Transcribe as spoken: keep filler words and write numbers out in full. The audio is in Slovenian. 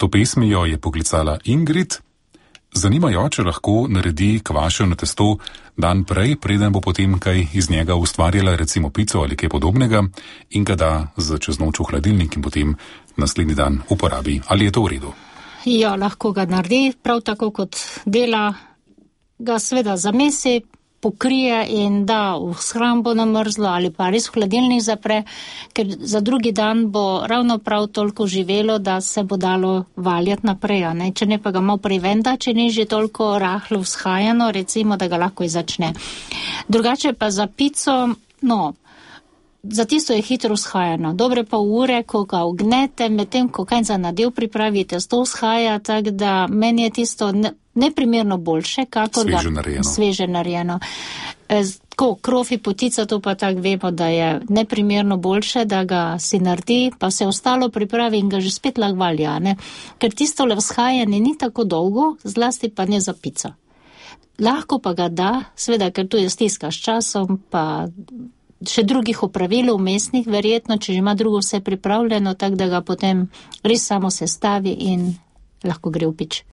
To pesmijo je poklicala Ingrid. Zanima jo, če lahko naredi kvašeno testo dan prej, preden bo potem kaj iz njega ustvarjala, recimo pico ali kaj podobnega, in ga da za čez noč v hladilnik in potem naslednji dan uporabi. Ali je to v redu? Ja, lahko ga naredi, prav tako kot dela, ga sveda zamesi, pokrije in da v shrambo na mrzlo ali pa res v hladilnik zapre, ker za drugi dan bo ravno prav toliko živelo, da se bo dalo valjati naprej, ne? Če ne pa ga malo prej venda, če ni že toliko rahlo vzhajano, recimo, da ga lahko začne. Drugače pa za pico, no, za tisto je hitro vzhajano. Dobre pol ure, ko ga ognete, medtem ko kaj za nadev pripravite, to vzhaja, tako da meni je tisto ne, neprimerno boljše, kakor sveže ga narejeno. Sveže narejeno. E, tako, krofi potica, to pa tako vemo, da je neprimerno boljše, da ga si naredi, pa se ostalo pripravi in ga že spet lahko valja, ne? Ker tisto le vzhajanje ni tako dolgo, zlasti pa ne za pico. Lahko pa ga da, sveda, ker tu je stiska s časom, pa še drugih opravil vmesnih, verjetno, če že ima drugo vse pripravljeno, tako da ga potem res samo sestavi in lahko gre v pič.